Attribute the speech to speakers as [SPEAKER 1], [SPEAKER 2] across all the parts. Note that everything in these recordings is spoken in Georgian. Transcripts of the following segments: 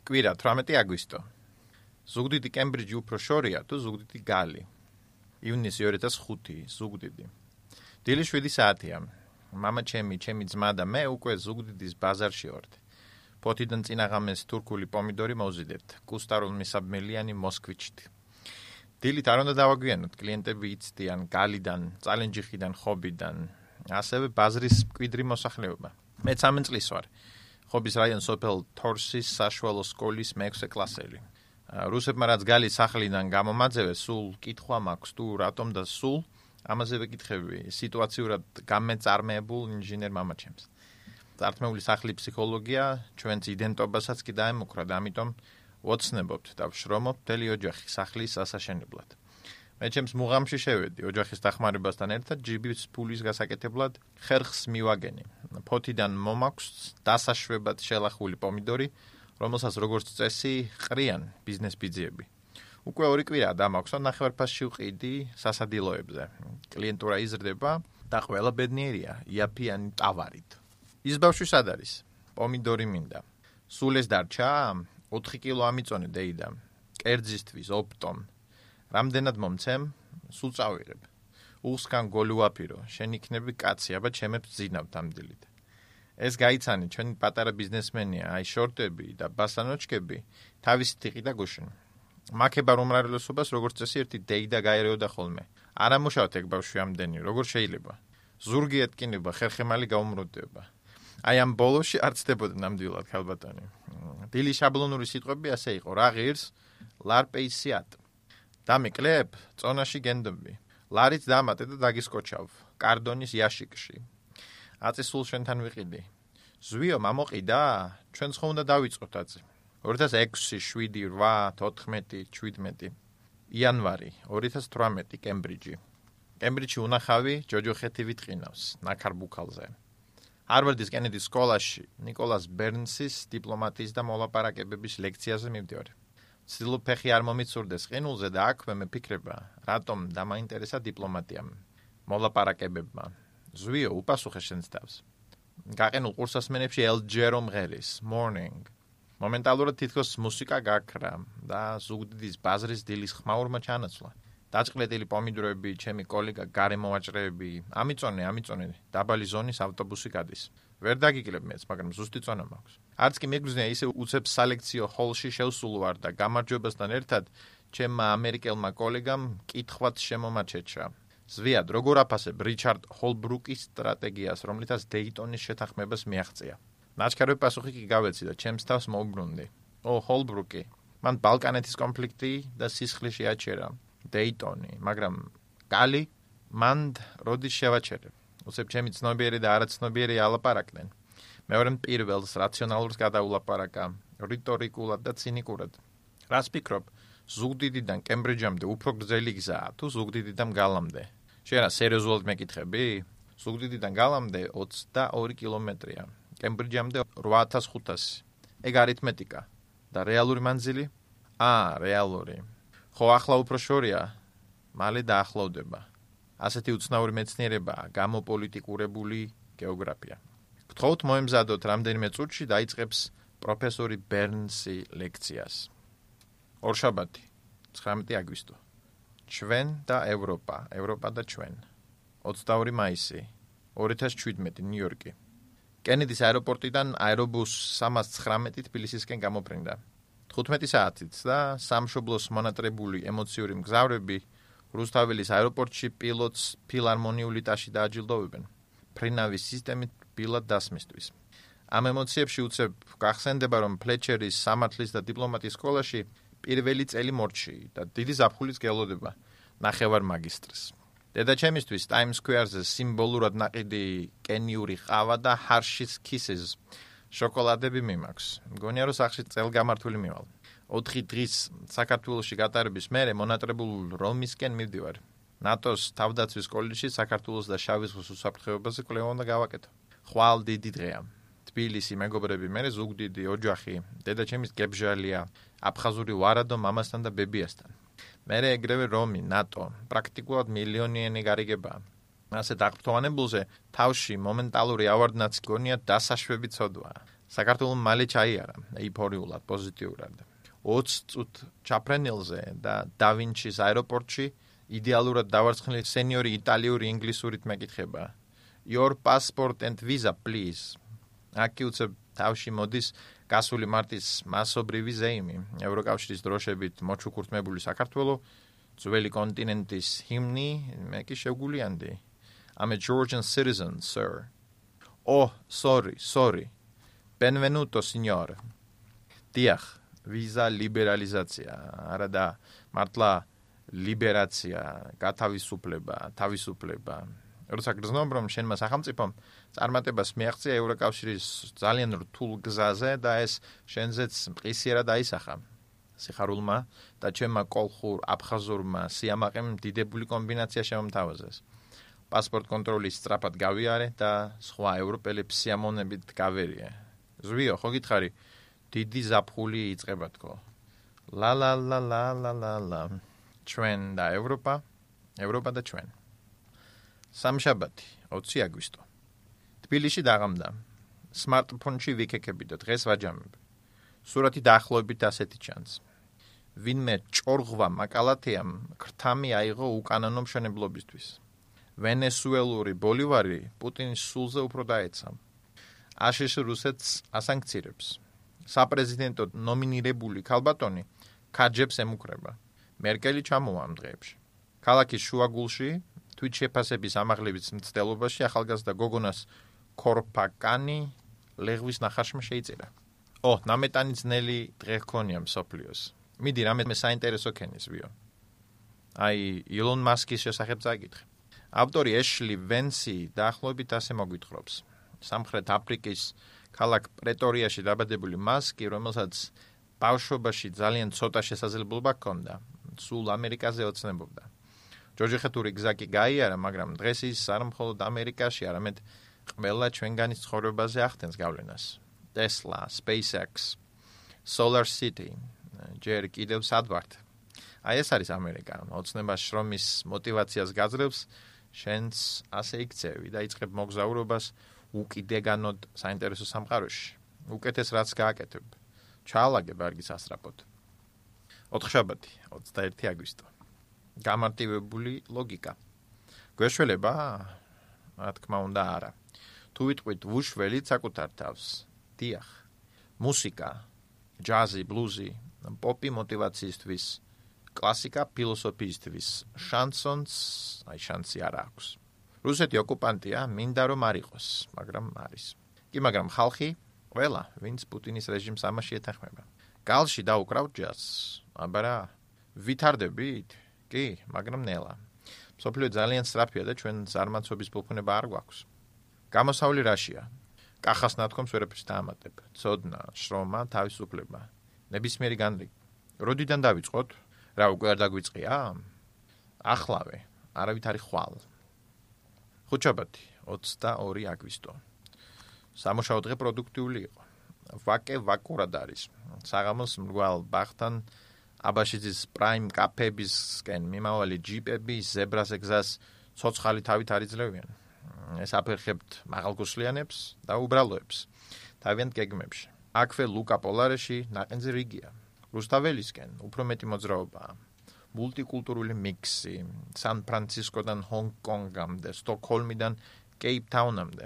[SPEAKER 1] კვირა 18 აგვისტო. ზუგდიდი კემბრიჯი უფრო შორია თუ ზუგდიდი გალი. ივნისი 2005 ზუგდიდი. დილი 7 საათია. მამა ჩემი ძმა და მე უკვე ზუგდიდის ბაზარში ვართ. ფოთიდან წინაღამეს თურქული პომიდორი მოვზიდეთ. კუსტარულ მისაბმელიანი მოსკვიჩით. დილით არ უნდა დავაგვიანოთ, კლიენტები იცდიან გალიდან, წალენჯიხიდან, ხობიდან, ასევე ბაზრის მკვიდრი მოსახლეობა. მე 13 წლის ვარ. ხობის რაიონ სოფელ თორსის საშუალო სკოლის მე-6 კლასელი. რუსებმა რაც გალის სახლიდან გამომაძევეს, სულ კითხვა მაქვს თუ რატომ და სულ ამაზე ვეკითხები სიტუაციურად გამეწარმეებულ ინჟინერ მამაჩემს. წართმეული სახლის ფსიქოლოგია ჩვენს იდენტობასაც კი დაემუქრა და ამიტომ ვოცნებობთ და ვშრომობ მთელი ოჯახი სახლის ასაშენებლად. მე ჩემს მუღამში შევედი ოჯახის დახმარებასთან ერთად ჯიბის ფულის გასაკეთებლად ხერხს მივაგენი. ფოთიდან მომაქვს დასაშვებად შელახული პომიდორი, რომელსაც როგორც წესი ყრიან ბიზნეს ბიძიები. უკვე 2 კვირაა დამაქვს, ნახევარფასში ვყიდი სასადილოებზე. კლიენტურა იზრდება და ყველა ბედნიერია იაფიანი ტავარით. ის ბავშვი სად არის? პომიდორი მინდა. სულ ეს დარჩა? 4 კილო ამიწონე დეიდა. კერძისთვის ოპტომ. რამდენად მომცემ? სულ წავიღებ. უსკან გოლუაფირო, შენ იქნები კაცი, აბა ჩემებს ძინავთ ამ დილით. ეს გაიცანი, ჩვენი პატარა ბიზნესმენია, აი შორტები და ბასანოჩკები, თავისი თიყი და გუშინ. მაქებარ უმრავლესობას როგორც წესი ერთი დეიდა გაერეოდა ხოლმე. არ ამუშავთ ეგ ბავშვი ამდენი, როგორ შეიძლება? ზურგი ეთკინება, ხერხემალი გაუმრუდდება. აი ამ ბოლოში არ ცდებოდა ნამდვილად ქალბატონი. დილი შაბლონური სიტყვები ასე იყო, რა ღირს? ლარპეისიატ. დამეკლებ, წონაში გენდობი. ლარიც დამატე და დაგისკოჩავ. კარდონის იაშიკში. აწი სულ შენთან ვიყიდი. ზვიო, მამოყიდა? ჩვენც ხო უნდა დავიწყოთ აწი. 2006, 7, 8, 14, 17. იანვარი 2018 კემბრიჯი. კემბრიჯში უნახავი ჯოჯოხეთი ვიტყინავს ნაქარბუქალზე. ჰარვარდის კენედის სკოლაში ნიკოლას ბერნსის დიპლომატიის და მოლაპარაკებების ლექციაზე მივდივარ. ვცდილობ ფეხი არ მომიცურდეს ყინულზე და აქვე მეფიქრება, რატომ დამაინტერესა დიპლომატიამ, მოლაპარაკებებმა. ზვიო, უპასუხე შენს თავს. გაყენულ ყურსასმენებში ელჯერო მღერის, morning. მომენტალურად თითქოს მუსიკა გაქრა და ზუგდიდის ბაზრის დილის ხმაურმა ჩანაცვლა. დაჭყლეტილი პომიდორები, ჩემი კოლეგა გარემოვაჭრეები, ამიწონე, დაბალი ზონის ავტობუსი გადის. ვერ დაგიკლებ მეც, მაგრამ ზუსტი წონა მაქვს. არც კი მეგრძნია ისე უცებ სალექციო ჰოლში შევსულ ვარ და გამარჯვებასთან ერთად ჩემმა ამერიკელმა კოლეგამ კითხვაც შემომაჩეჩა. ზვიად, როგორ აფასებ რიჩარდ ჰოლბრუკის სტრატეგიას, რომლითაც დეიტონის შეთანხმებას მიაღწია. ნაჩქარები პასუხი კი გავეცი და ჩემს თავს მოუბრუნდი. ჰოლბრუკი, მან ბალკანეთის კონფლიქტი და სისხლი შეაჩერა. დეიტონი, მაგრამ გალი მანდ როდის შევაჩერებ. უცებ ჩემი ცნობიერი და არაცნობიერი ალაპარაკდნენ. მეორემ პირველს რაციონალურს გადაულაპარაკა, რიტორიკულად და ცინიკურად. რას ფიქრობ, ზუგდიდიდან კემბრიჯამდე უფრო გრძელი გზაა თუ ზუგდიდიდან გალამდე? შენ რა სერიოზულად მეკითხები? ზუგდიდიდან გალამდე 22 კილომეტრია. კემბრიჯამდე 8500. ეგ არითმეტიკა. და რეალური მანძილი? რეალური. ხო ახლა უფრო შორია, მალე დაახლოვდება. ასეთი უცნაური მეცნიერებაა გამოპოლიტიკურებული გეოგრაფია. გთხოვთ მოემზადოთ რამდენიმე წუთში დაიწყებს პროფესორი ბერნსი ლექციას. ორშაბათი, 19 აგვისტო. ჩვენ და ევროპა, ევროპა და ჩვენ. 22 მაისი, 2017 ნიუ-იორკი. კენედის აეროპორტიდან აერობუს 319 თბილისისკენ გამოფრინდა. 15 საათით და სამშობლოს მონატრებული ემოციური მგზავრები რუსთაველის აეროპორტში პილოტს ფილარმონიული ტაში დააჯილდოვებენ. ფრინავის სისტემით ბილად დასმისთვის. ამ ემოციებში უცებ გახსენდება, რომ ფლეჩერის სამართლის და დიპლომატიის სკოლაში პირველი წელი მორჩი და დიდი ზაფხულის გელოდება ნახევარ მაგისტრს. დედაჩემისთვის ტაიმს სკვერზე სიმბოლურად ნაყიდი კენიური ყავა და ჰარშის კისეს შოკოლადები მიმაქვს. მგონია, რომ სახლში წელგამართული მივალ. 4 დღის საქართველოში გატარების მერე მონატრებულ რომისკენ მივდივარ. ნატოს თავდაცვის კოლეჯში საქართველოს და შავი ზღვის უსაფრთხოებაზე კვლევა უნდა გავაკეთო. ხვალ დიდი დღეა. თბილისი, მეგობრები, მე ზუგდიდი, ოჯახი, დედაჩემის გებჟალია, აფხაზური ვარადო მამასთან და ბებიასთან. მერე ეგრევე რომი, ნატო, პრაქტიკულად მილიონიანი გარიგებაა. ასე დაღფრთოვანებულზე თავში მომენტალური ავარდნაც გონია დასაშვები ცოდვაა. საქართველოს მალე ჩაიარა ეიფორიულად, პოზიტიურად. 20 წუთ ჩაფრენილზე და დავინჩის აეროპორტში იდეალურად დავარცხნილი სენიორი იტალიური ინგლისურით მეკითხება. Your passport and visa, please. აქ უცებ თავში მოდის გასული მარტის მასობრივი ზეიმი, ევროკავშირის დროშებით მოჩუქურთმებული საქართველო, ძველი კონტინენტის ჰიმნი, მე კი შევგულიანდი. I'm a Georgian citizen, sir. Oh, sorry. Benvenuto, signor. დიახ, ვიზა ლიბერალიზაცია, არა და მართლა ლიბერაცია, თავისუფლება. როცა გრძნობ, რომ შენმა სახელმწიფომ წარმატებას მიაღწია ევროკავშირის ძალიან რთულ გზაზე და ეს შენზეც მყისიერად აისახა. სიხარულმა და ჩემმა კოლხურ აფხაზურმა სიამაყემ დიდებული კომბინაცია შემომთავაზეს. პასპორტ კონტროლის სწრაფად გავიარე და სხვა ევროპელებს სიამოვნებით გავერიე. ზვიო, ხო გითხარი, დიდი ზაფხული იწყება თქო. ლა. ჩვენ და ევროპა და ჩვენ. სამშაბათი, 20 აგვისტო. თბილისში დაღამდა. სმარტფონში ვიქეკები და დღეს ვაჯამებ. სურათი დაახლოებით ასეთი ჩანს. ვინმე ჭორღვა მაკალათეამ ქრთამი აიღო უკანონო მშენებლობისთვის. ვენესუელური ბოლივარი პუტინის სულზე უფრო დაეცა. აშშ რუსეთს ასანქცირებს. საპრეზიდენტო ნომინირებული ქალბატონი ქაჯებს ემუქრება. მერკელი ჩამოვა ამ დღეებში. ქალაქის შუაგულში თვით შეფასების ამაღლების მცდელობაში ახალგაზრდა გოგონას ქორფაკანი ლეღვის ნახარშმა შეიწერა. ნამეტანი ძნელი დღე ჰქონია მსოფლიოს. მიდი რამე საინტერესო ქენის ვიო. ილონ მასკის შესახებ წაგითხე. ავტორი ეშლი ვენსი დაახლოებით ასე მოგვითხრობს. სამხრეთ აფრიკის ქალაქ პრეტორიაში დაბადებული მასკი, რომელსაც ბავშვობაში ძალიან ცოტა შესაძლებლობა ჰქონდა, სულ ამერიკაზე ოცნებობდა. ჯოჯოხეთური გზა კი გაიარა, მაგრამ დღეს ის არ მხოლოდ ამერიკაში, არამედ ყველა ჩვენგანის ცხოვრებაზე ახდენს გავლენას. Tesla, SpaceX, Solar City, ჯერ კიდევ სადვართ. ეს არის ამერიკა, ოცნება შრომის მოტივაციას გაძლევს, შენც ასე იქცევი და იწყებ მოგზაურობას უკიდეგანოდ საინტერესო სამყაროში. უკეთეს რაც გააკეთებ. ჩაალაგებ არგის ასრაპოდ. 4 შაბათი, 21 აგვისტო. გამარტივებული ლოგიკა. გვეშველება? რა თქმა უნდა არა. თუ ვიტყვით ვუშველით საკუთარ თავს. დიახ. მუსიკა, ჯაზი, ბლუზი, პოპი მოტივაციისთვის, კლასიკა ფილოსოფიისთვის, შანსონს, შანსი არ აქვს. რუსეთი ოკუპანტია, მინდა რომ არ იყოს, მაგრამ არის. მაგრამ ხალხი, ყველა, ვინც პუტინის რეჟიმს ამაში ეთანხმება. გალში დაუკრავთ ჯაზს, აბარა, ვითარდებით? კი, მაგრამ ნელა. მსოფლიო ძალიან სწრაფია და ჩვენ ზარმაცობის ფუფუნება არ გვაქვს. გამოსავალი რაშია? კახას ნათქვამს ვერაფერს დაამატებ. ცოდნა, შრომა, თავისუფლება. ნებისმიერი განრიგი. როდიდან დავიწყოთ? რა უკვე არ დაგვიწყია? ახლავე, არავითარი ხვალ. 5 შაბათი, 22 აგვისტო. სამუშაო დღე პროდუქტიული იყო. ვაკურად არის. საღამოს მრგვალ ბახთან აბაშიძის პრაიმ კაფეებისკენ მიმავალი ჯიპები ზებრაზე გზას ცოცხალი თავით არიძლევიან. ეს აფერხებთ მაღალგუსლიანებს და უბრალოებს თავიანთ გეგმებში. აქვე ლუკა პოლარეში ნაყენზე რიგია. რუსთაველისკენ უფრო მეტი მოძრაობაა. მულტიკულტურული მიქსი, სან-ფრანცისკოდან ჰონგ-კონგამდე, სტოკჰოლმიდან კეიპტაუნამდე.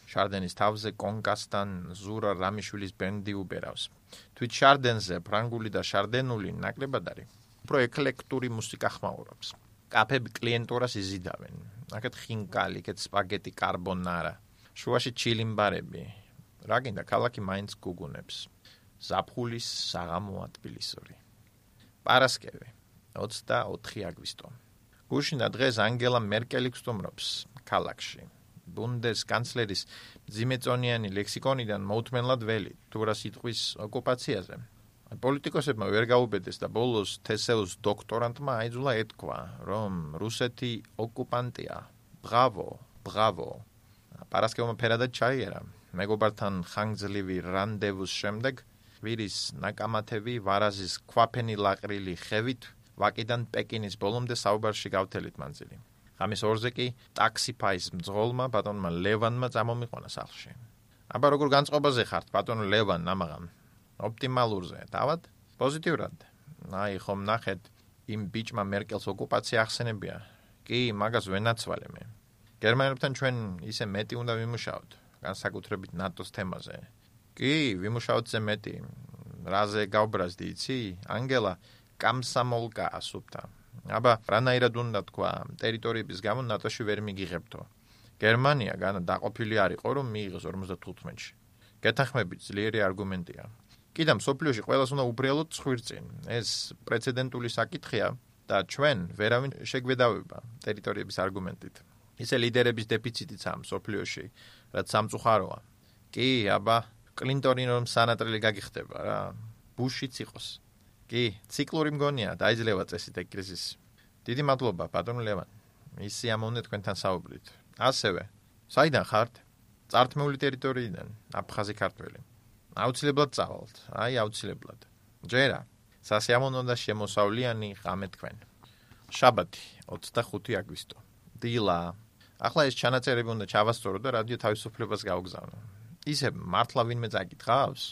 [SPEAKER 1] შარდენის თავზე კონკასთან ზურა რამიშვილის ბენდი უბერავს. თვით შარდენზე ფრანგული და შარდენული ნაკლებად არის. უფრო ეკლექტური მუსიკა ხმაურობს. კაფეები კლიენტურას იზიდავენ. აქეთ ხინკალი, იქეთ სპაგეტი კარბონარა. შუაში ჩილიმბარები. რა გინდა, ქალაქი მაინც გუგუნებს. ზაფხულის საღამოა თბილისური. პარასკევი, 24 აგვისტო. გუშინდა დღეს ანგელა მერკელი გსტუმრობს ქალაქში. ბუნდესკანცლერის მძიმეწონიანი ლექსიკონიდან მოუთმენლად ველი, თუ რა სიტყვის ოკუპაციაზე. პოლიტიკოსებმა ვერ გაუბედეს და ბოლოს თესეუს დოქტორანტმა აიძულა ეთქვა, რომ რუსეთი ოკუპანტია. ბრავო. პარასკევმა ფერადად ჩაიერა. მეგობართან ხანგრძლივი რანდევუს შემდეგ ვირის ნაკამათები ვარაზის ქვაფენი ლაყრილი ხევით ვაკიდან პეკინის ბოლომდე საუბარში გავთელით მანძილი. ღამის 2-ზე კი ტაქსიფაის მძღოლმა ბატონმა ლევანმა წამომიყვანა სახლში. აბა როგორ განწყობაზე ხართ ბატონო ლევან ამაღამ? ოპტიმალურზე, დავად? პოზიტიურად. აი ხომ ნახეთ იმ ბიჭმა მერკელს ოკუპაცია ახსენებია. კი, მაგას ვენაცვალე მე. გერმანელებთან ჩვენ ისე მეტი უნდა ვიმუშაოთ, განსაკუთრებით ნატოს თემაზე. კი, ვიმუშაოთ მეტი. რაზე გავბრაზდი, იცი? ანგელა კამსამოლკა ასუფთა. აბა რანაირად უნდა თქვა, ტერიტორიების გამო ნატოში ვერ მიგიღებთო. გერმანია დაყოფილი არ იყო, რომ მიიღოს 55-ში. გეთანხმებით, ძლიერი არგუმენტია. კიდე მსოფლიოში ყველას უნდა უბრალოდ ცხვირწინ. ეს პრეცედენტული საკითხია და ჩვენ ვერავინ შეგვედავება ტერიტორიების არგუმენტით. ისე ლიდერების დეფიციტიც ამ მსოფლიოში, რაც სამწუხაროა. კი, აბა კლინტონი რომ სანატრელი გაგიხდება რა. ბუშიც იყოს. კი, ციკლური მგონია, დაიძლევა წესით ეგ კრიზისი. დიდი მადლობა, ბატონო ლევან. ისი ამოვნე თქვენთან საუბრით. ასევე, საიდან ხართ? წართმეული ტერიტორიიდან, აფხაზი ქართველი. აუცილებლად წავალთ, აი აუცილებლად. ჯერა, სასიამოვნო და შემოსავლიანი ღამე თქვენ. შაბათი, 25 აგვისტო. დილა. ახლა ეს ჩანაწერები უნდა ჩავასწორო და რადიო თავისუფლებას გავგზავნო. ისე მართლა ვინმე წაკითხავს?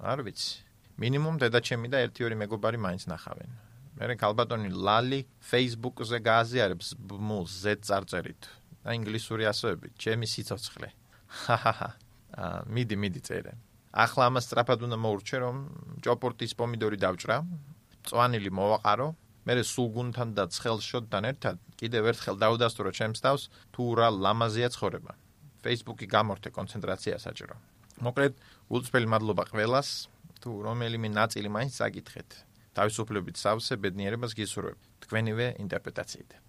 [SPEAKER 1] არ ვიცი. მინიმუმ დედაჩემი და 1-2 მეგობარი მაინც ნახავენ. მერე ქალბატონი ლალი Facebook-ზე გააზიარებს ბმულს Z წარწერით და ინგლისური ასოებით, ჩემი სიცოცხლე. მიდი წერე. ახლა ამას სწრაფად უნდა მოურჩე, რომ ჭოპორტის პომიდორი დავჭრა, მწვანილი მოვაყარო, მერე სულგუნთან და ცხელშოდთან ერთად კიდევ ერთხელ დავდასტურო ჩემს თავს, თუ რა ლამაზია ცხოვრება. Facebook-ი გამორთე კონცენტრაცია საჭირო. მოკლედ, გულწრფელი მადლობა ყველას, თუ რომელიმე ნაწილი მაინც წაკითხეთ. თავისუფლებით სავსე ბედნიერებას გისურვებ. თქვენივე ინტერპრეტაციით.